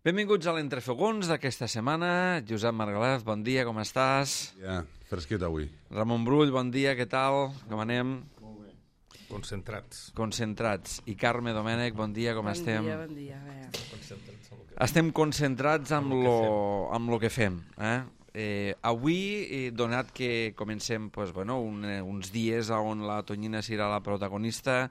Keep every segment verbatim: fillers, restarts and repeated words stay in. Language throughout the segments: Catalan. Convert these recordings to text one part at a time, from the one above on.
Benvinguts a l'Entrefogons d'aquesta setmana. Josep Margalef, bon dia, com estàs? Ja, fresquet avui. Ramon Brull, bon dia, què tal? Com anem? Molt bé. Concentrats. Concentrats. I Carme Domènech, bon dia, com bon estem? Bon dia, bon dia. Bé. Concentrats en lo que... Estem concentrats amb lo, amb lo que fem. Eh? Eh, avui, eh, donat que comencem pues, bueno, un, eh, uns dies on la Tonyina serà la protagonista,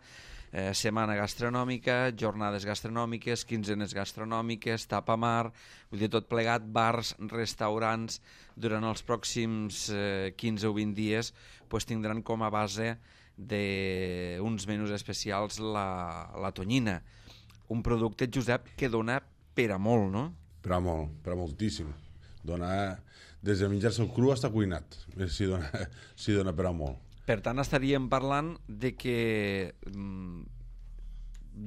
eh, setmana gastronòmica, jornades gastronòmiques, quinzenes gastronòmiques, tapamar, vull dir, tot plegat, bars, restaurants, durant els pròxims eh, quinze o vint dies pues, tindran com a base d'uns menús especials la, la Tonyina. Un producte, Josep, que dona per a molt, no? Per a molt, per a moltíssim. Dona, des de menjar-se el cru fins cuinat, si dona, si dona per a molt. Per tant, estaríem parlant de que mm,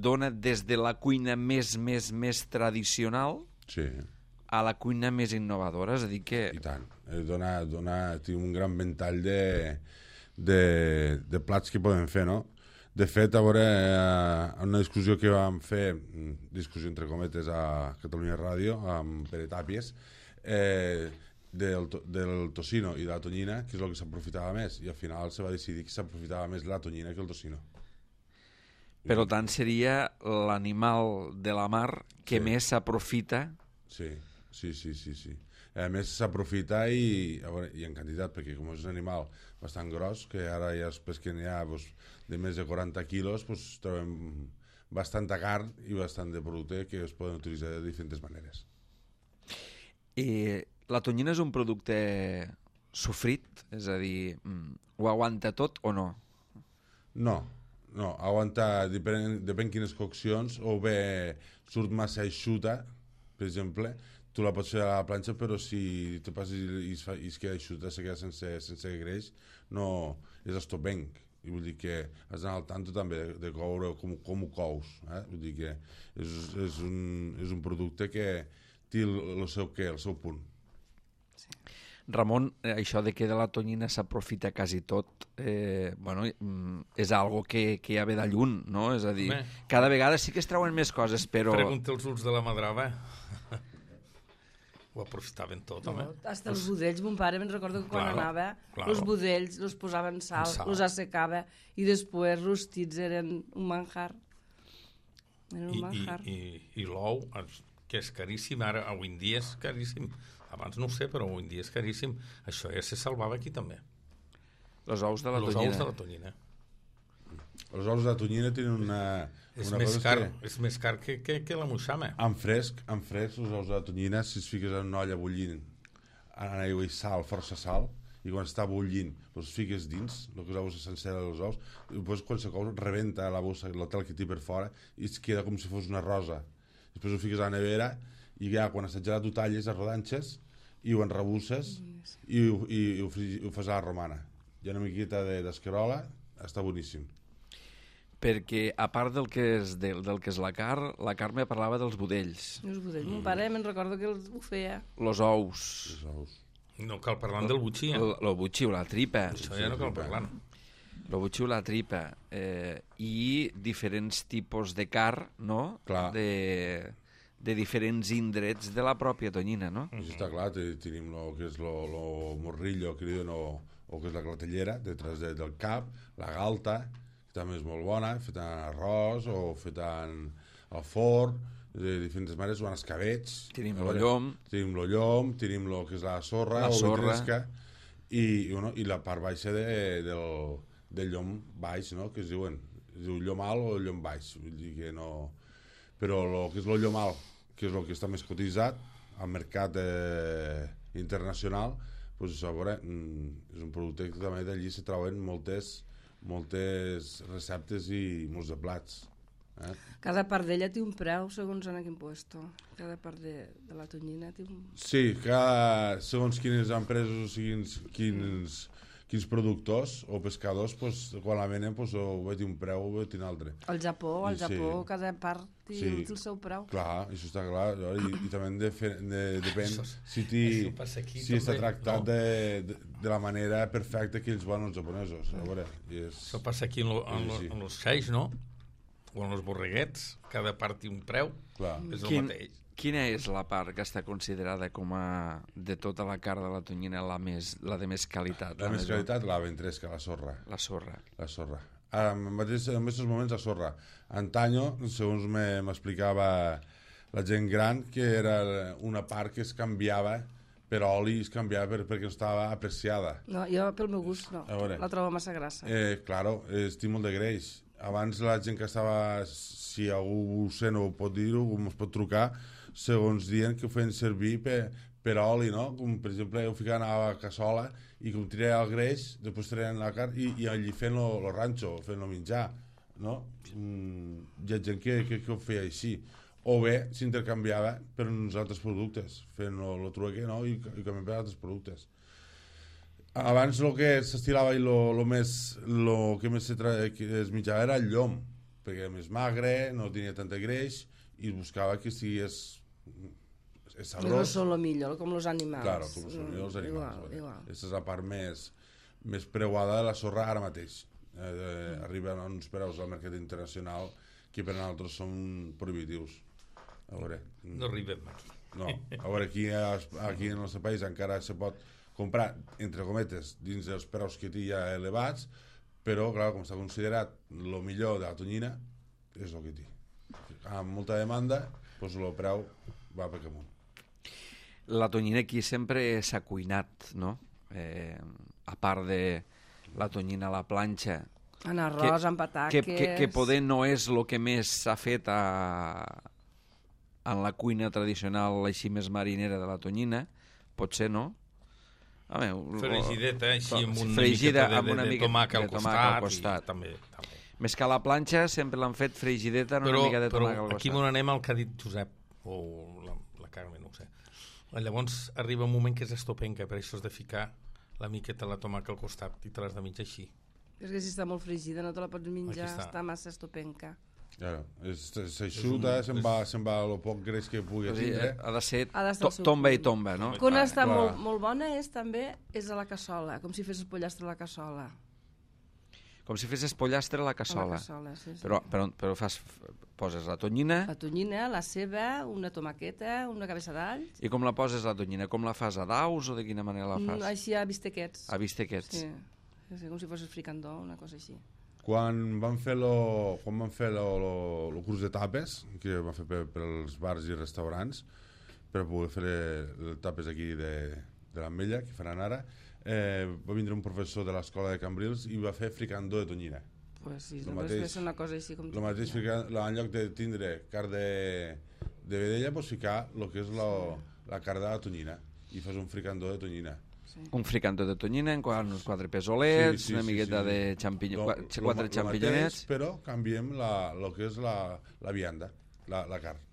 dona des de la cuina més, més, més tradicional sí. a la cuina més innovadora, és a dir que... I tant. Dona, dona, té un gran ventall de, de, de plats que podem fer, no? De fet, a veure, en una discussió que vam fer, discussió entre cometes a Catalunya Ràdio, amb Pere Tàpies, eh, del, del tocino i de la tonyina, que és el que s'aprofitava més, i al final se va decidir que s'aprofitava més la tonyina que el tocino. Per tant, seria l'animal de la mar que sí. més s'aprofita. Sí, sí, sí, sí, sí. A més s'aprofita i, a veure, i en quantitat, perquè com és un animal bastant gros, que ara ja es pesquen ja pues, de més de quaranta quilos, pues, trobem bastanta carn i bastant de producte que es poden utilitzar de diferents maneres. I la tonyina és un producte sofrit? És a dir, ho aguanta tot o no? No, no, aguanta, depèn, depèn quines coccions, o bé surt massa eixuta, per exemple, tu la pots fer a la planxa, però si te passes i es, fa, i es queda eixuta, se queda sense, sense greix, no és estopenc. I vull dir que has d'anar al tanto també de, de coure com, com ho cous. Eh? Vull dir que és, és, un, és un producte que té el, el seu què, el seu punt. Sí. Ramon, això de que de la tonyina s'aprofita quasi tot, eh, bueno, és algo que, que ja ve de lluny, no? És a dir, Home. cada vegada sí que es treuen més coses, però... Pregunta els ulls de la Madrava. Ho aprofitaven tot, home. No, hasta els budells, mon pare me'n recordo que quan claro, anava, claro. els budells los posaven sal, sal, los assecava i després rostits eren un manjar. Eren un I, manjar. I, i, i l'ou, que és caríssim, ara avui en dia és caríssim. Abans no ho sé, però avui en dia és caríssim. Això ja se salvava aquí també. Els ous de la Los tonyina. ous de la tonyina. Els ous de tonyina tenen una... És, una més cosa car, que... és més car que, que, que la moixama. En fresc, en fresc, els ous de la tonyina, si es fiques en una olla bullint en aigua i sal, força sal, i quan està bullint, els fiques dins, el que és la bossa sencera dels ous, i després quan se cou, rebenta la bossa, l'hotel que té per fora, i es queda com si fos una rosa. Després ho fiques a la nevera, i ja quan està gelat ho talles a rodanxes, i ho enrebusses, i, ho, i, i, ho, i ho fas a la romana. Hi ha una miqueta d'escarola, està boníssim. Perquè a part del que és, del, del que és la carn, la Carme parlava dels budells. Els budells, mon pare me'n recordo que els, ho feia. Los ous. Els ous. No cal parlar del butxí, eh? Lo butxí o la tripa. Això ja no cal parlar. Lo butxí o la tripa. Eh, I diferents tipus de carn, no? Clar. De, de diferents indrets de la pròpia tonyina, no? Això està clar, tenim el que és el morrillo, que li diuen, o, o que és la clatellera, detrás de, del cap, la galta, que també és molt bona, feta en arròs o feta en al forn, de diferents maneres, o en escabets. Tenim el llom. Tenim el llom, tenim el que és la sorra, la o sorra. vitresca, i, i, bueno, i la part baixa de, del, del llom baix, no?, que es diuen, es diu llom alt o llom baix, vull dir que no... Però el que és el llom alt, que és el que està més cotitzat al mercat eh, internacional, doncs, a veure, és un producte que també d'allí se troben moltes moltes receptes i molts de plats. Eh? Cada part d'ella té un preu segons en quin puesto. Cada part de, de la tonyina té un... Sí, cada, segons quines empreses o quins, quins, quins productors o pescadors, pues, quan la venen, pues, o ve un preu o ve un altre. Al Japó, al I, Japó, sí. cada part té Sí. el seu preu. Clar, això està clar. I, i també de fe, de, depèn Això- si, ti, això passa aquí si està també. tractat No. de, de, de la manera perfecta que ells volen els japonesos. A veure, i és... Això passa aquí en, lo, en, Sí, lo, sí. en los xais, no? o en els borreguets, cada part té un preu, Clar. és el Quin, mateix. quina és la part que està considerada com a, de tota la carn de la tonyina, la, més, la de més qualitat? La, la més qualitat, la ventresca, la sorra. La sorra. La sorra. Ara, en mateix, en aquests moments, la sorra. Antanyo, segons m'explicava la gent gran, que era una part que es canviava per oli, es canviava per, perquè no estava apreciada. No, jo pel meu gust no, la trobo massa grassa. Eh, claro, estic molt de greix. Abans la gent que estava, si algú ho sé, no ho pot dir-ho, ens pot trucar, segons diuen que ho feien servir per, per oli, no? Com, per exemple, ho ficaven a la cassola i com tiraven el greix, després tiraven la carn i, i allí fent el ranxo, fent el menjar, no? Mm, hi ha gent que, que, que ho feia així. O bé s'intercanviava per uns altres productes, fent el trueque, no? I, i canviant per altres productes. Abans el que s'estilava i el més, lo que més es menjava era el llom, perquè era més magre, no tenia tanta greix, i es buscava que estigués sabrós. No són el millor, com els animals. Claro, com són els animals. Igual, igual. Aquesta és la part més, més preuada de la sorra ara mateix. Eh, eh, arriben uns preus al mercat internacional que per a nosaltres són prohibitius. A veure, no arribem aquí. No, a veure, aquí, aquí en el nostre país encara se pot comprar, entre cometes, dins dels preus que té ja elevats, però, clar, com està considerat el millor de la tonyina, és el que té. Amb molta demanda, doncs el preu va per amunt. La tonyina aquí sempre s'ha cuinat, no? Eh, a part de la tonyina a la planxa, en arròs, que, en pataques... Que, que, que poder no és el que més s'ha fet a, en la cuina tradicional així més marinera de la tonyina, potser no? A veure, fregideta, així amb una fregida, miqueta de, amb una de, de, de tomac al costat. Al costat. I, també, també. Més que a la planxa sempre l'han fet fregideta amb però, una mica de tomac al costat. Però aquí on anem al que ha dit Josep, o la, la Carme, no ho sé. Llavors arriba un moment que és estopenca, per això has de ficar la miqueta de la tomac al costat i te l'has de menjar així. És que si està molt fregida no te la pots menjar, està. està massa estopenca. Claro, s'aixuta, un... se'n va, se va el poc greix que pugui tindre. Ha de ser de to, tomba i tomba, no? Quan ah, està molt, molt bona és també és a la cassola, com si fessis pollastre a la cassola. Com si fessis pollastre a la cassola. A la cassola, sí, sí. Però, però, però fas, poses la tonyina... La tonyina, la ceba, una tomaqueta, una cabeça d'alls... I com la poses la tonyina? Com la fas, a daus o de quina manera la fas? Mm, així a bistequets. A bistequets. Sí. Sí, com si fossis fricandó, una cosa així. Quan van fer lo, quan van fer lo, lo, lo curs de tapes, que van fer per, per als bars i restaurants, per poder fer les tapes aquí de, de l'Ametlla, que faran ara, eh, va vindre un professor de l'escola de Cambrils i va fer fricandó de tonyina. Pues sí, lo no mateix, és una cosa així com... El mateix, fricandó, en lloc de tindre carn de, de vedella, pues ficar el que és la, la carn de la tonyina i fas un fricandó de tonyina. Sí. Un fricandó de tonyina, en uns quatre pesolets, sí, sí, una miqueta sí, sí. de xampinyó, lo, quatre lo, xampinyonets... Mateix, però canviem el que és la, la vianda, la, la carn.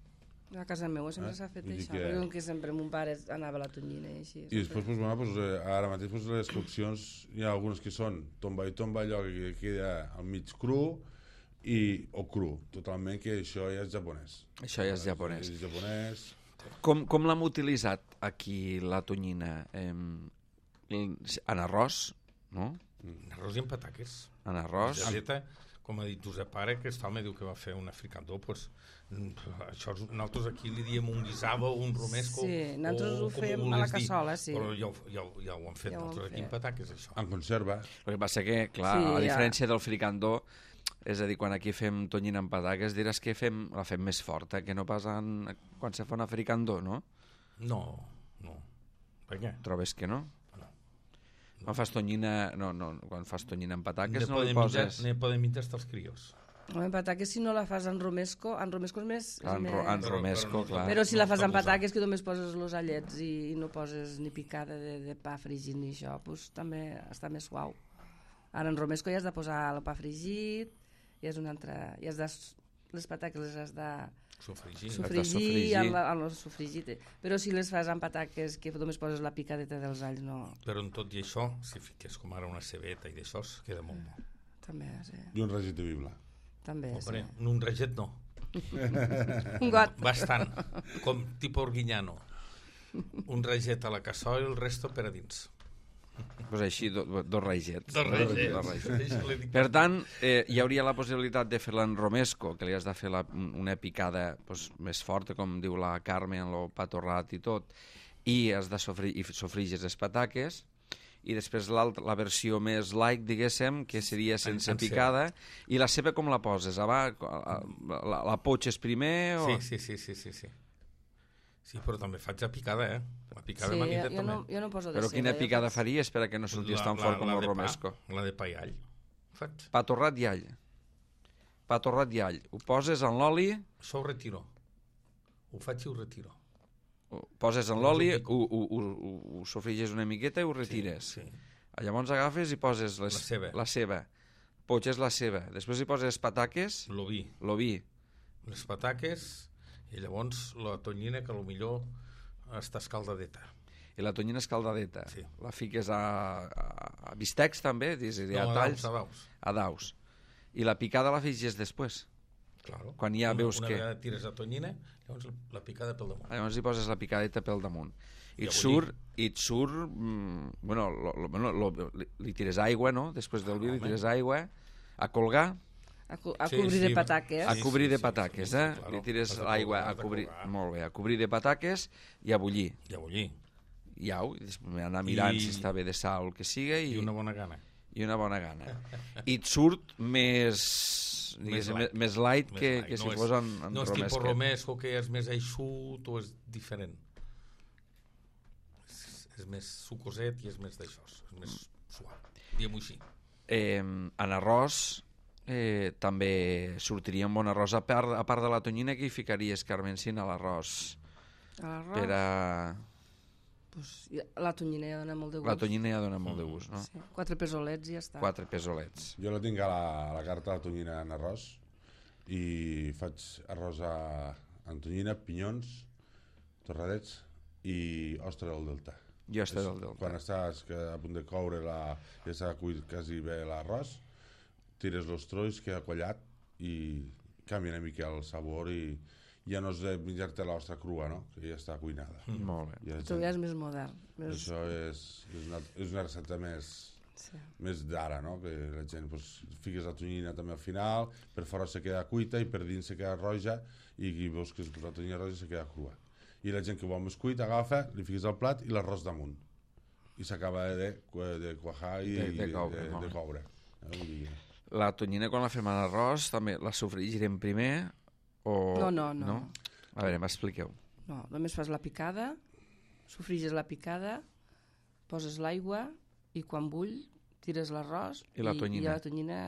A casa meva sempre eh? s'ha fet això, que... perquè que sempre mon pare anava a la tonyina i així. I després, pues, bueno, pues, ara mateix pues, les coccions, hi ha algunes que són tomba i tomba, allò que queda al mig cru, i, o cru, totalment, que això ja és japonès. Això ja és japonès. És japonès. Com, com l'hem utilitzat aquí, la tonyina? Eh, en arròs, no? En arròs i en pataques. En arròs. Geleta, com ha dit Josep Pare, que està, me diu que va fer una fricandó, pues, això nosaltres aquí li diem un guisado o un romesco. Sí, nosaltres ho fem a la cassola, sí. Però ja, ja, ja ho han fet ja nosaltres aquí en pataques, això. En conserva. El que passa que, clar, sí, a diferència ja. del fricandó, és a dir, quan aquí fem tonyina en pataques, diràs que fem, la fem més forta, que no pas en, quan se fa una fricandó, no? No, no. Per què? Trobes que no? Quan fas tonyina, no, no, quan fas tonyina en pataques ne no li poses... Ne poden menjar els crios. En pataques si no la fas en romesco, en romesco és més... En, ro, en romesco, clar. Però si la fas en pataques que només poses els allets i, i no poses ni picada de, de pa fregit ni això, pues, també està més suau. Ara en romesco ja has de posar el pa fregit, i és una altra... I has de, les pataques les has de... Sofregir. Sofregir, en, la, en el sofregit. Però si les fas en pataques que només poses la picadeta dels alls, no... Però en tot i això, si fiques com ara una cebeta i d'això, queda molt bo. També, sí. I un regit de bibla. També, Hombre, sí. Un reget no. Un got. Bastant, com tipus orguinyano. Un reget a la cassola i el resto per a dins. Pues així, do, dos raigets. Dos raigets. Dos raigets. Per tant, eh, hi hauria la possibilitat de fer-la en romesco, que li has de fer la, una picada pues, més forta, com diu la Carme, en el pa torrat i tot, i has de sofrir, i sofrigis les pataques, i després la versió més light, diguéssim, que seria sense en, en picada, ceba. I la ceba com la poses? Aba, la, la, la potxes primer? O... Sí, sí, sí, sí, sí, sí. Sí, però també faig la picada, eh? La picada sí, manita jo també. No, jo no poso de però ceba, quina picada faig... faries per a que no sortís tan fort com el romesco? Pa, la de pa i all. Faig. Pa torrat i all. Pa torrat i all. Ho poses en l'oli... Això ho retiro. Ho faig i ho retiro. Ho poses en l'oli, ho, ho, ho, ho sofriges una miqueta i ho retires. Sí, sí. Llavors agafes i poses les, la ceba. La ceba. Potxes la ceba. Després hi poses pataques... L'oví. L'oví. Les pataques... I llavors la tonyina, que potser està escaldadeta. I la tonyina escaldadeta. Sí. La fiques a, a, a bistecs també? Dis, no, a, a talls, daus, a daus. A daus. I la picada la figes després? Claro. Quan ja una, veus una que... Una vegada tires la tonyina, llavors la picada pel damunt. Llavors hi poses la picadeta pel damunt. I I et surt... I et surt mm, bueno, lo, lo, bueno lo, li, li tires aigua, no? Després del vi li tires aigua. A colgar... A, co a sí, cobrir sí, de pataques. A cobrir sí, de sí, pataques, sí, sí, eh? claro. Li tires Has de l'aigua colgar, a cobrir... has de colgar. Molt bé, a cobrir de pataques i a bullir. I a bullir. I au, i després anar mirant I... si està bé de sal o el que siga. I, I una bona gana. I una bona gana. I et surt més... Més light, més light més que, light. que no si és, fos en, en no és romesco. tipus romesco, que és més eixut o és diferent. És, és més sucoset i és més d'això. És més suau. Diguem-ho així. Eh, en arròs eh, també sortiria un bon arròs. A part, a part de la tonyina, que hi ficaries, Carmencina, a l'arròs? A l'arròs? Per a... Pues, la tonyina ja dona molt de gust. La tonyina ja dona molt de gust, no? Sí. Quatre pesolets i ja està. Quatre pesolets. Jo la tinc a la, a la carta de tonyina en arròs i faig arròs a, en tonyina, pinyons, torradets i ostra del delta. I ostra del delta. Quan estàs a punt de coure, la, ja s'ha cuit quasi bé l'arròs, tires els trolls, queda quallat i canvia una mica el sabor i ja no és de menjar-te l'ostra crua, no? Que ja està cuinada. Mm. Molt bé. Ja Tu ja és més modern. Més... Això és, és, una, és una recepta més, sí. més d'ara, no? Que la gent pues, fiques la tonyina també al final, per fora se queda cuita i per dins se queda roja i veus que la tonyina roja se queda crua. I la gent que vol més cuit agafa, li fiques al plat i l'arròs damunt. I s'acaba de, de cuajar i de, de coure. De, de coure. Eh? La tonyina, quan la fem a l'arròs, també la sofregirem primer o... No, no, no. no? A veure, m'expliqueu. No, només fas la picada, sofriges la picada, poses l'aigua i quan bull tires l'arròs I la tonyina. I la tonyina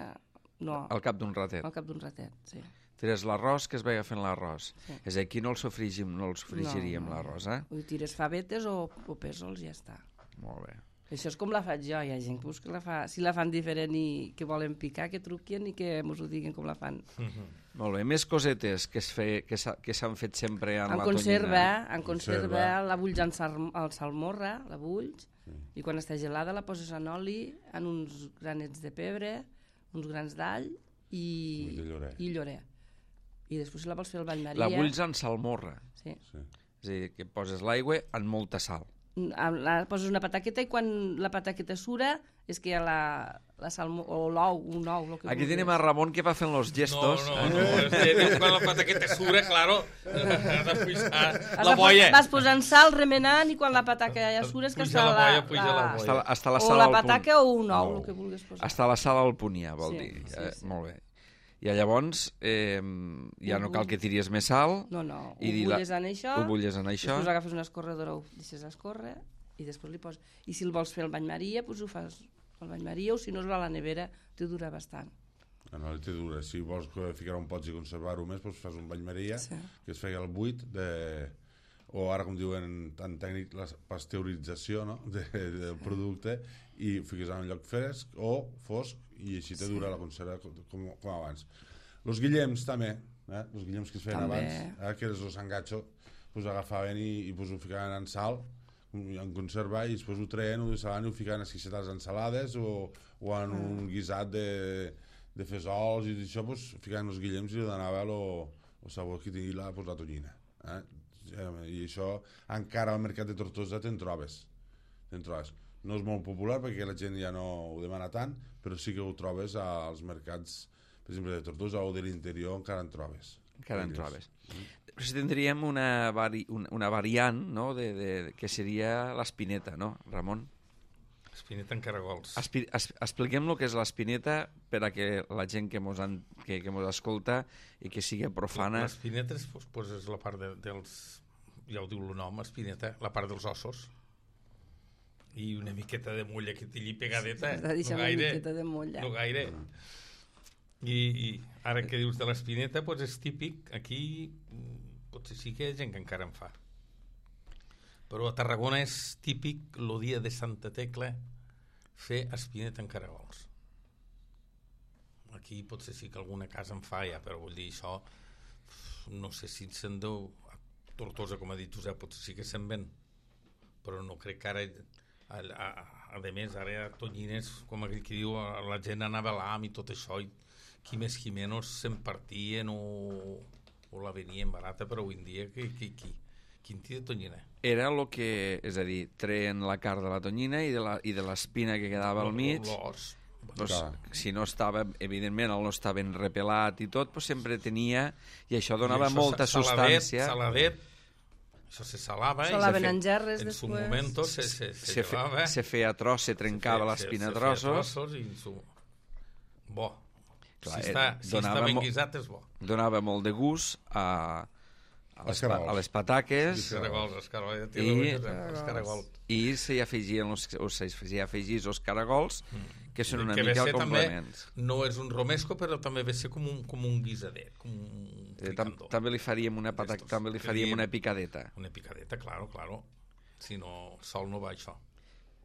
no, Al cap d'un ratet. al cap d'un ratet, sí. Tires l'arròs, que es vegi fent l'arròs. Sí. És a dir, aquí no el sofrigim, no el sofrigiríem, no, no. l'arròs, eh? Ho tires favetes o, o pèsols i ja està. Molt bé. Això és com la faig jo, hi ha gent pues, que la fa, si la fan diferent i que volen picar, que truquin i que ens ho diguin com la fan. Mm-hmm. Molt bé, més cosetes que es fe, que s'han fet sempre en, en la conserva, tonyina. en conserva, la bulls en sal, el salmorra, la bulls, sí. I quan està gelada la poses en oli, en uns granets de pebre, uns grans d'all i, llorer. i llorer. I després la vols fer al bany Maria. La bulls en salmorra. Sí. Sí. És a dir, que poses l'aigua en molta sal. La, poses una pataqueta i quan la pataqueta sura és que hi ha la, la salmo, o l'ou, un ou. Que Aquí vulguis. tenim a Ramon que va fent los gestos. No, no, no, és que quan la pataqueta sura, claro, has de pujar la Vas, boia. vas posant sal, remenant, i quan la pataca ja sura és que Puja està la la, boia, puja la boia. Està, està la o sal la al punt. pataca o un ou, No. el que vulguis posar. Està la sal al punt ja, vol Sí, dir. sí, eh, sí. Molt bé. I llavors eh, ja no cal que tiris més sal. No, no, ho i la- bulles en això, Ho bulles en això. després agafes una escorredora, ho deixes escórrer, i després li poses... I si el vols fer al bany Maria, doncs ho fas al bany Maria, o si no es va a la nevera, te dura bastant. No, no, té dura. Si vols ficar un pots i conservar-ho més, doncs fas un bany Maria, Sí. que es feia el buit de... o ara com diuen en tècnic la pasteurització, no? de, del producte, i fiques en un lloc fresc o fosc i així te dura la conserva com, com abans. Els guillems també, eh? Els guillems que es feien També. abans, eh? que és el sangatxo, pues agafaven i, i pues ho ficaven en sal, en conserva, i després ho treien, ho deixaven i ho ficaven esquixetats en salades o, o en Ah. un guisat de, de fesols i això, pues, ficaven els guillems i li donava el sabor que tenia la, pues, la tonyina. Eh? I això encara al mercat de Tortosa te'n trobes. Te'n trobes. no és molt popular perquè la gent ja no ho demana tant, però sí que ho trobes als mercats, per exemple, de Tortosa o de l'interior, encara en trobes. Encara en trobes. Però si tindríem una, vari, una, una variant, no?, de, de, que seria l'espineta, no, Ramon? Espineta en caragols. Espi, es, expliquem el que és l'espineta per a que la gent que mos, han, que, que mos escolta i que sigui profana... L'espineta és, pues, és la part de, dels... Ja ho diu el nom, espineta, la part dels ossos. I una miqueta de molla que t'hi pegadeta. Has de deixar no una gaire, miqueta de molla. no gaire. I, i ara que dius de l'espineta, pues és típic. Aquí potser sí que hi ha gent que encara en fa. Però a Tarragona és típic el dia de Santa Tecla fer espineta en caragols. Aquí potser sí que alguna casa en fa ja, però vull dir, això no sé si se'n deu a Tortosa, com ha dit Josep, potser sí que se'n ven, però no crec que ara a, a, a més, ara a Tonyines, com aquell que diu, la gent anava a l'am i tot això, i qui més qui menys se'n partien o, o la venien barata, però avui en dia qui, qui, qui, quin dia de tonyina? Era el que, és a dir, treien la carn de la tonyina i de la, i de l'espina que quedava al mig. L'os. Pues, si no estava, evidentment, el no estava ben repelat i tot, pues sempre tenia, i això donava I això, molta saladet, substància. Saladet, això se salava. Salaven i en gerres en després. su momento se, se, se, se, fe, llevava. se feia tros, se trencava se, l'espina se, a trossos. Se trossos i su... Bo. Clar, si està, si està ben guisat és bo. Donava molt de gust a, a, les, a les pataques. Els caragols, els caragols. I, els caragols. I s'hi afegien els, o s'hi afegís els caragols, que són una que mica el complements. També, no és un romesco, però també ve ser com un, com un guisadet, com un eh, tam, també li faríem una pataca, també li faríem una picadeta. Una picadeta, claro, claro. Si no, sol no va això.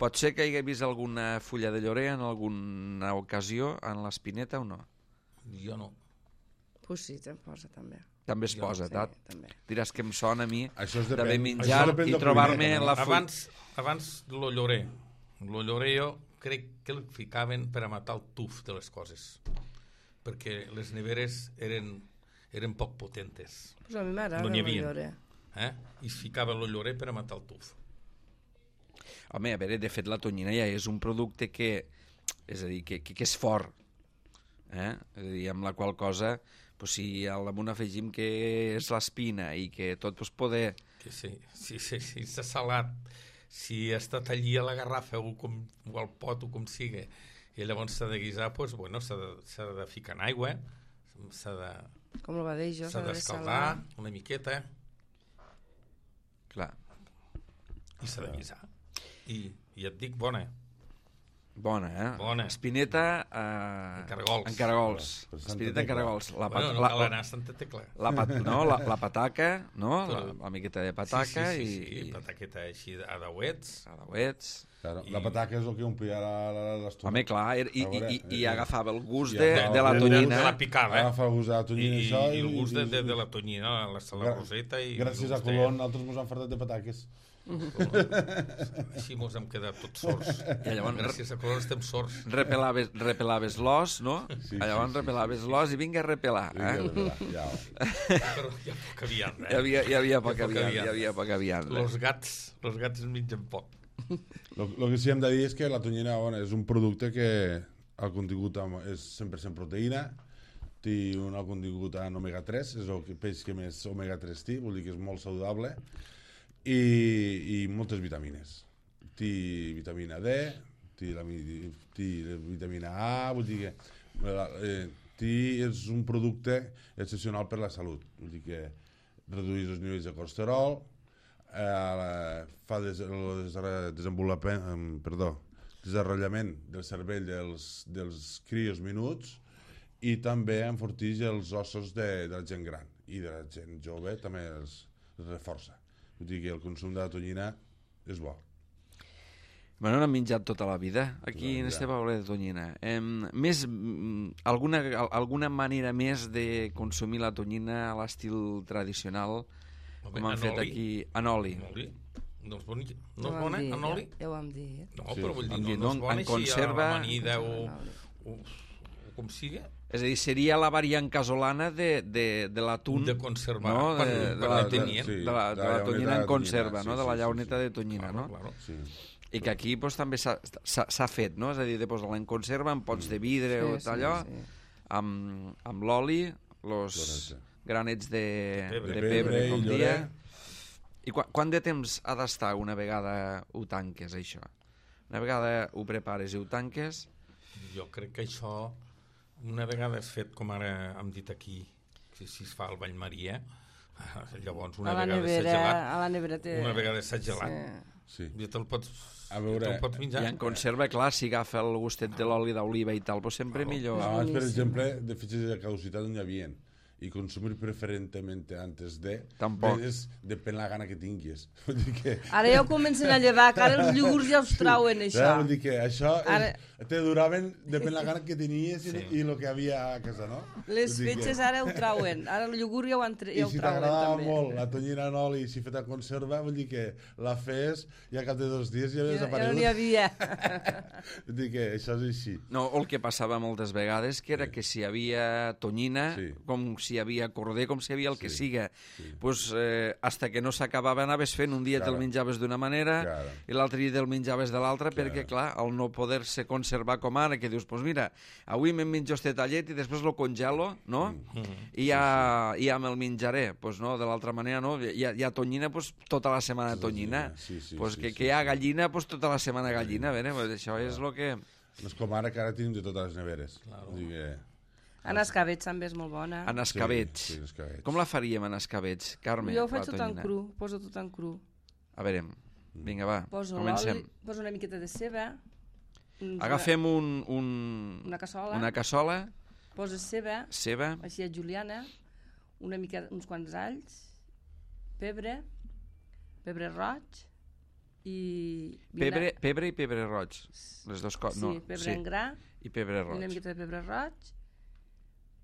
Pot ser que hi hagués vist alguna fulla de llorer en alguna ocasió en l'espineta o no? Jo no. Pues sí, te'n posa també. També es Jo posa, sí, tat? també. Diràs que em sona a mi depèn, d'haver menjat i trobar-me la fulla. Abans, abans lo llorer. Lo llorer jo crec que el ficaven per a matar el tuf de les coses. Perquè les neveres eren, eren poc potentes. Pues a mi m'agrada no el havia. llorer. Eh? I es ficava el llorer per a matar el tuf. Home, a veure, de fet la tonyina ja és un producte que, és a dir, que, que, que és fort, eh? És a dir, amb la qual cosa, pues, si al damunt afegim que és l'espina i que tot pues, poder... Que sí, sí, sí, sí, s'ha salat, si ha estat allí a la garrafa o, com, o al pot o com sigui, i llavors s'ha de guisar, pues, bueno, s'ha de, s'ha de ficar en aigua, s'ha de... Com el va dir jo, s'ha d'escaldar una miqueta. Clar. I s'ha de guisar. I, i et dic, bona. Bona, eh? Bona. Espineta eh, en caragols. En caragols. Per Santa Espineta en Tecla. caragols. La Bueno, pat- no la, cal anar a Santa Tecla. la, pat, no, la, la pataca, no? La, Clar. la miqueta de pataca sí, sí, sí, i... sí. Pataqueta així a dauets. A dauets. Claro, I- la pataca és el que omplia l'estona. Home, clar, i, i, A veure, i, i eh, agafava el gust i de, agafava de la el tonyina. De la picada. Agafa el gust de la I, tonyina i, això, i el gust de, de, i- de la tonyina, la, la Gra- roseta. I Gràcies el a gust de- Colón, nosaltres mos han fartat de pataques. Així mos hem quedat tots sords. I llavors- Gràcies a Colón estem sords. Repelaves, repelaves l'os, no? Sí, Llavors sí, sí, repelaves l'os i vinga a repelar. Eh? Vinga, ja, ja. Però hi ha poca vianda. Hi havia, hi havia poca Hi ha poca vianda, hi vianda. havia poca vianda. Los gats, los gats es mengen poc. El que sí hem de dir és que la tonyina bueno, és un producte que el contingut amb- és cent per cent proteïna, té un alt contingut en omega tres, és el que- peix que més omega tres té, vol dir que és molt saludable, i, i moltes vitamines. Té vitamina D, té, la, mi- té la vitamina A, vull dir que la, eh, té, és un producte excepcional per la salut, vull dir que redueix els nivells de colesterol, eh, fa des, el des- desenvolupament, em, perdó, desenrotllament del cervell dels, dels crios minuts i també enforteix els ossos de, de la gent gran i de la gent jove també els, els reforça. Vull dir que el consum de la tonyina és bo. Bueno, n'hem menjat tota la vida, aquí Tota la en vida. este poble de tonyina. Eh, més, mm, alguna, alguna manera més de consumir la tonyina a l'estil tradicional, Home, com han en fet oli. aquí, en oli. En oli? No és, boni... no Ja és ho bona, vam dir, en oli? Ja, ja ho vam dir. Eh? No, Sí, però vull dir, en no, di- no no, és bona en així conserva- a l'amanida o, En oli. o, o com sigui. És a dir, seria la variant casolana de, de, de l'atún, De conservar. no? Per- de, de, per la, la de, tonyina. de, la, de la llauneta tonyina de en conserva, tonyina, no? sí, De la sí, llauneta sí, sí. de tonyina, Claro, no? claro. Sí. I que aquí doncs, també s'ha fet, no? És a dir, de posar-la en conserva, en pots de vidre Sí, o sí, allò, sí. amb, amb l'oli, els Correcte. granets de, pebre. de De pebre, pebre com i dia. llorer. I qu quant de temps ha d'estar una vegada ho tanques, això? Una vegada ho prepares i ho tanques... Jo crec que això, una vegada és fet, com ara hem dit aquí, si, si es fa al Vall Maria, llavors una a la vegada s'ha nevera, gelat, a la nevera té... una vegada s'ha gelat, Sí. Sí. ja te'l pots, A veure, te'l pots menjar. I en conserva, clar, si agafa el gustet de l'oli d'oliva i tal, doncs sempre millor. Abans, per boníssim. exemple, de fitxes de caducitat no hi havia. I consumir preferentemente antes de... Tampoc. És depèn la gana que tinguis. Vull dir que... Ara ja ho comencen a llevar, que ara els iogurts ja us trauen, això. Ja, vull dir que això Ara- és, te duraven depèn la gana que tenies i, Sí. i el que havia a casa, no? Les Vull dir que- fetges ara ho trauen, ara el iogurt ja ho, entre, I ja ho si trauen t'agradava també. molt la tonyina en oli i si feta conserva, vull dir que la fes i al cap de dos dies ja havia Ja, ja desaparegut. no n'hi havia. Vull dir que això és així. No, el que passava moltes vegades que era que si hi havia tonyina, Sí. com si hi havia corder, com si hi havia el que Sí, siga, sí. pues, eh, hasta que no s'acabava anaves fent, un dia Claro. te'l menjaves d'una manera Claro. i l'altre dia te'l menjaves de l'altra, Claro. perquè, clar, al no poder-se conservar com ara, que dius, pues mira, avui me'n menjo este tallet i després lo congelo, no? Mm. I ja, i ja me'l menjaré. Pues no, de l'altra manera, no? Hi ha, hi ha tonyina, pues, tota la setmana tonyina. Sí, sí, pues sí, que, sí, que hi ha sí. gallina, pues tota la setmana gallina. A veure, pues això és el que... No és com ara, que ara tenim de totes les neveres. Claro. Vull dir que... En escabets també és molt bona. En escabets. Sí, sí, en escabets. Com la faríem en escabets, Carme? Jo ho faig la tot en tonyina? cru, poso tot en cru. A veure, vinga, va, Poso comencem. l'oli, poso una miqueta de ceba, uns- Agafem un, un, una cassola, una cassola, poso ceba, ceba, així a juliana, una mica, uns quants alls, pebre, pebre roig i... pebre, vina- pebre i pebre roig. Les dos coses. Sí, no, pebre en gra, i pebre una roig. miqueta de pebre roig.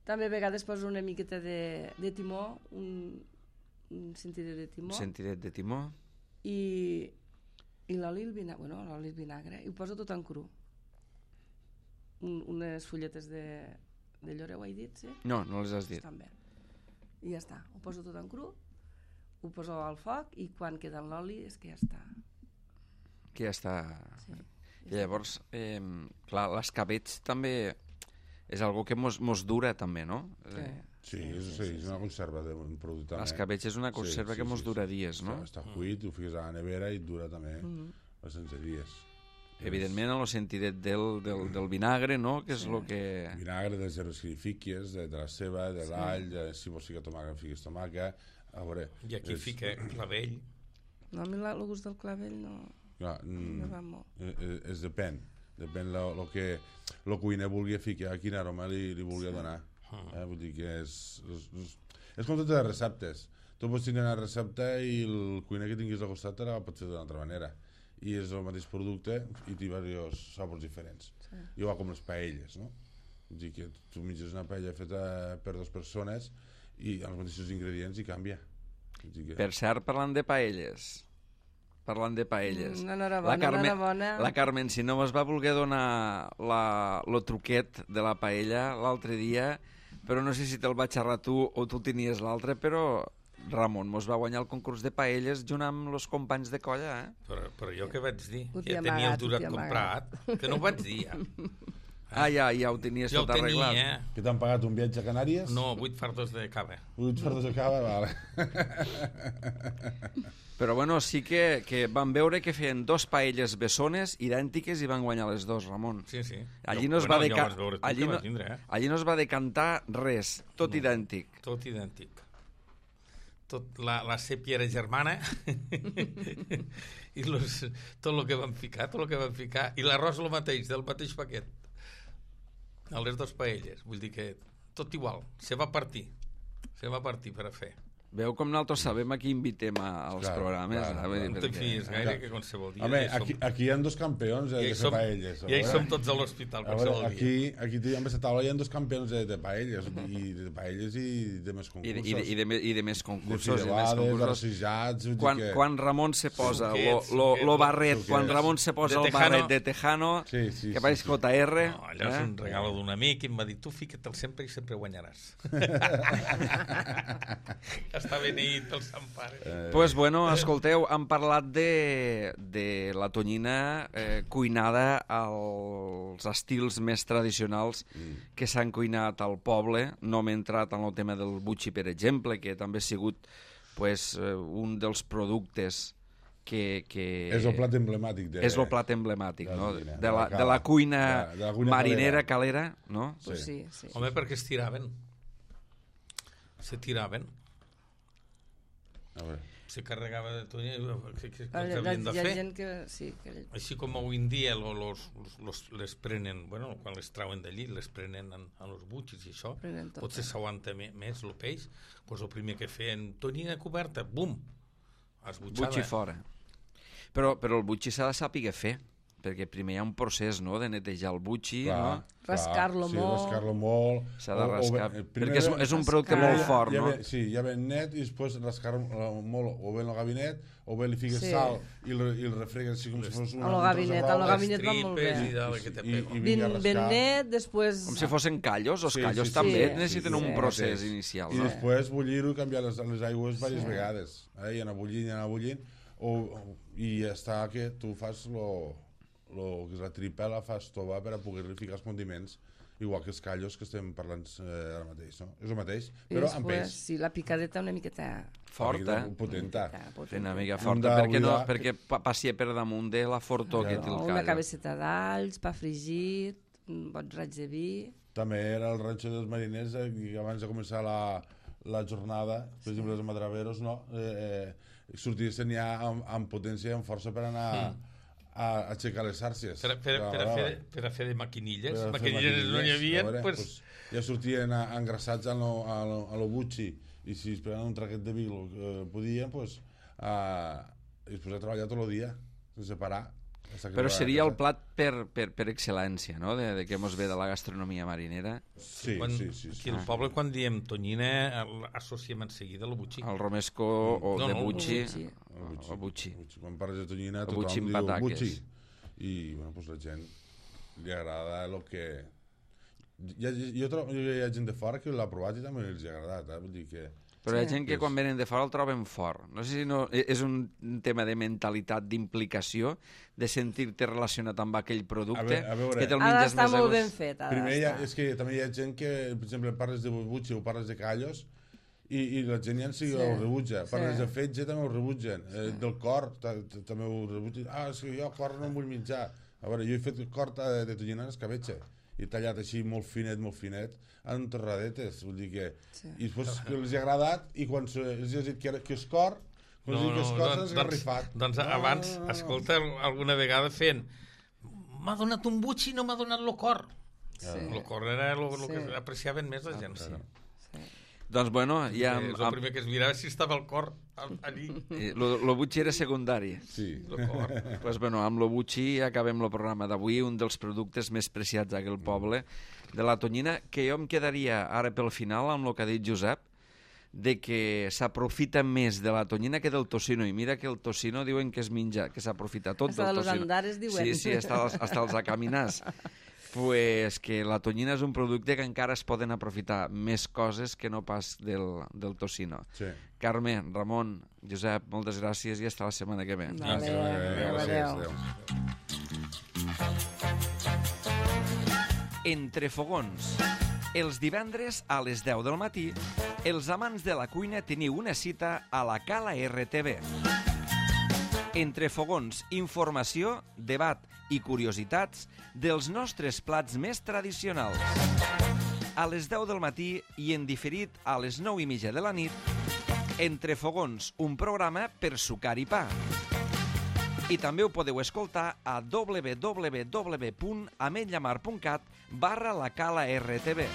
També a vegades poso una miqueta de, de timó, un, un sentidet de timó. Un sentidet de timó. I, i l'oli i el vinagre, bueno, l'oli i el vinagre, i ho poso tot en cru. Un, unes fulletes de, de llorer, ho he dit, sí? No, no les has dit. Estan bé. I ja està, ho poso tot en cru, ho poso al foc i quan queda l'oli és que ja està. Que ja està... Sí. I llavors, eh, clar, l'escabets també és algo que mos, mos dura també, no? Sí. Eh, Sí, és, sí, és una conserva d'un producte. L'escabetx és una conserva que mos dura dies, no? Està, està cuit, ho fiques a la nevera i et dura també Mhm. bastants dies. Evidentment, en el sentidet del, del, del vinagre, no? Que és el que... Vinagre, dels herbes que li fiques, de, de la ceba, de l'all, de, si vols ficar tomàquet, fiques tomàquet. A veure... I aquí és- fica clavell. No, a mi la- el gust del clavell no, Clar, no mm, va molt. eh, eh, es depèn. Depèn lo, lo que el cuiner vulgui ficar, quin aroma li, li vulgui donar. Eh? Vull dir que és, és, és, és com totes les receptes. Tu pots tenir una recepta i el cuiner que tinguis al costat te la pot fer d'una altra manera. I és el mateix producte i té diversos sabors diferents. Sí. Igual com les paelles, no? Vull dir que tu menges una paella feta per dues persones i els mateixos ingredients i canvia. Vull dir que... Per cert, parlant de paelles, parlant de paelles, Mm, enhorabona, la, Carmen, enhorabona. la Carmen, si no mos va voler donar la, lo truquet de la paella l'altre dia, però no sé si te'l va xerrar tu o tu tenies l'altre, però Ramon mos va guanyar el concurs de paelles junt amb els companys de colla, eh? Però, però jo què vaig dir? Ho Que t'hi ja tenia amagat, el durat ho t'hi comprat. Que no ho vaig dir, ja. Ah, ja, ja ho tenies Jo ho tot tenia, arreglat. eh? Que t'han pagat un viatge a Canàries? No, vuit fardos de cava. Vuit fardos de cava, vale. Però bueno, sí que, que van veure que feien dos paelles bessones idèntiques i van guanyar les dos, Ramon. Sí, sí. Allí Jo- no es bueno, va ja deca... ho vas veure tu, allí, que no... vas vindre, eh? allí no es va decantar res, tot No. idèntic. Tot idèntic. Tot, la, la sèpia era germana i los, tot el que van ficar, tot el que van ficar, i l'arròs el mateix, del mateix paquet. A les dues paelles. Vull dir que tot igual, se va partir. Se va partir per a fer. Veu com nosaltres sabem a qui invitem a, als Clar, programes. clar, eh? Vull dir, No te perquè- fies gaire, que qualsevol dia... Home, ja hi aquí, som, aquí hi ha dos campions de, ja hi de fer som, paelles. a ja hi veure. som tots a l'hospital A veure, qualsevol aquí, dia. aquí tenim a taula hi ha dos campions de, de paelles, i de paelles i de més I, concursos. de, i, de, i, de, me- I de més de concursos. I de més fideuades, concursos. d'arrosijats... vull dir Quan, que... quan Ramon se posa lo, Suquets, lo, lo suquets, barret, suquets. quan Ramon se posa De el Tejano. barret de Tejano, Sí, sí, que sí, pareix sí. J R, No, allò és eh? un regalo d'un amic i em va dir, tu fica't-el sempre i sempre guanyaràs. està beneït pel Sant Pare. Eh, Pues bueno, escolteu, hem parlat de, de la tonyina eh, cuinada als estils més tradicionals Mm. que s'han cuinat al poble. No m'he entrat en el tema del butxi, per exemple, que també ha sigut pues, eh, un dels productes que... que és el plat emblemàtic de... és el plat emblemàtic, de la no? tonyina, De de la, la de cala, la cuina de- de la cuina marinera, calera. calera, no? Pues sí, sí. Home, perquè es tiraven. Se tiraven. A veure. Se carregava de tonyina. Què, què, què Hi ha, havien de hi ha fer? gent que... Sí, que... Així com avui en dia lo, los, los, les prenen, bueno, quan les trauen d'allí, les prenen en, en els butxis i això, Prenen tot, potser eh? s'aguanta me- més el peix, doncs el primer que feien, tonyina coberta, bum, esbutxada. Butxi fora. Però, però el butxi s'ha de saber fer, perquè primer hi ha un procés, no?, de netejar el butxi, Clar, no? clar, Rascar-lo sí, molt. rascar-lo molt. S'ha de O- o rascar, bé- perquè primer és, ve- és un producte rascar. molt fort, ja no? ve, sí, ja ben net i després rascar-lo molt, o bé en el gabinet, o bé li fiques Sí. sal i el, i el refregues així com si fos una... A lo un tros de gabinet, roba. a lo gabinet va molt tripes bé. i dalt que te I- pego. i- Ben, vinga a ben rascar. net, després... Com si fossin callos, els Sí, callos sí, sí, també sí, necessiten sí, un sí. procés Mateix. inicial, I no? després bullir-ho i canviar les, les aigües diverses Sí. vegades. Eh? I anar bullint, i anar bullint, o, o, i ja està que tu fas lo, lo que és la tripela, fas tova per a poder-li ficar els condiments, igual que els callos que estem parlant eh, ara mateix, no? És el mateix, I però amb després, peix. sí, la picadeta una miqueta... Forta, Potenta. sí, una mica Hem forta, perquè, no, d'oblidar perquè pa- passi per damunt de la fortor que Ja. té el No, una callo. cabeceta d'alls, pa fregit, un bon raig de vi... També era el ranxo dels mariners, eh, i abans de començar la, la jornada, per exemple, els madraveros, no? Eh, eh, sortien ja amb, amb potència i amb força per anar a, a aixecar les xarxes. Per, a- per, a- per, a fer, per a fer de maquinilles, Per a fer maquinilles no n'hi havia, a veure, pues, pues, ja sortien a- engrassats a lo, a lo, a lo butxi, i si es pegaven un traquet de vi lo que podien, pues, a, i es posava a treballar tot el dia, sense parar. hasta que Però arribava a seria el casa. plat per, per, per excel·lència, no?, de, de què mos ve de la gastronomia marinera. Sí, quan, sí, sí. aquí sí. al poble, quan diem tonyina, el- associem en seguida el butxí. El romesco o No, de no, el butxi. butxi. El butxi. El butxi. El butxi. Quan parles de tonyina, El tothom butxi amb diu pataques. butxi. I, bueno, pues la gent li agrada el que... Hi ha, jo trobo, hi ha gent de fora que l'ha provat i també els ha agradat, eh? Vull dir que... Però hi ha Sí. gent que És- quan venen de fora el troben fort. No sé si no, és un tema de mentalitat, d'implicació, de sentir-te relacionat amb aquell producte, A veure- a veure. que te'l Ha menges d'estar més a molt gust. ben fet. ha Primer hi ha, d'estar. és que també hi ha gent que, per exemple, parles de butxi o parles de callos i, i la gent ja en si Sí. ho rebutja. Parles Sí. de fetge també ho rebutgen. Eh, del cor ta- ta- també ho rebutgen. Ah, és que jo cor no em vull menjar. A veure, jo he fet cor de, de tonyina en escabetxa. I tallat així molt finet, molt finet, en torradetes. Vull dir que... Sí. I després que els ha agradat i quan se, els ha dit que, era, que és cor, quan no, que és cor s'han esgarrifat. doncs, doncs abans, escolta, alguna vegada fent m'ha donat un butxi i no m'ha donat el cor. Sí. El cor era el Sí. que apreciaven més la gent. Sí. Sí. Doncs bueno, ja... Eh, és el primer que es mirava si estava el cor al- allí. El butxi era secundari. Sí. El cor. Pues bueno, amb lo butxi acabem el programa d'avui, un dels productes més preciats d'aquell poble, de la tonyina, que jo em quedaria ara pel final amb el que ha dit Josep, de que s'aprofita més de la tonyina que del tocino, i mira que el tocino diuen que es menja, que s'aprofita tot Hasta del de los tocino. andares diuen. Sí, sí, hasta, els- hasta els acaminars. Pues que la tonyina és un producte que encara es poden aprofitar més coses que no pas del, del tocino. Sí. Carme, Ramon, Josep, moltes gràcies i fins la setmana que ve. Vale, Adéu, adéu, gràcies, adéu. adéu. Entre fogons. Els divendres a les deu del matí, els amants de la cuina teniu una cita a la Cala R T V. Entre fogons, informació, debat i curiositats dels nostres plats més tradicionals. A les deu del matí i en diferit a les nou i mitja de la nit, Entre fogons, un programa per sucar i pa. I també ho podeu escoltar a w w w punt ametlllamar punt cat barra la Cala R T V.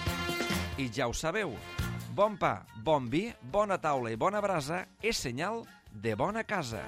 I ja ho sabeu, bon pa, bon vi, bona taula i bona brasa és senyal de bona casa.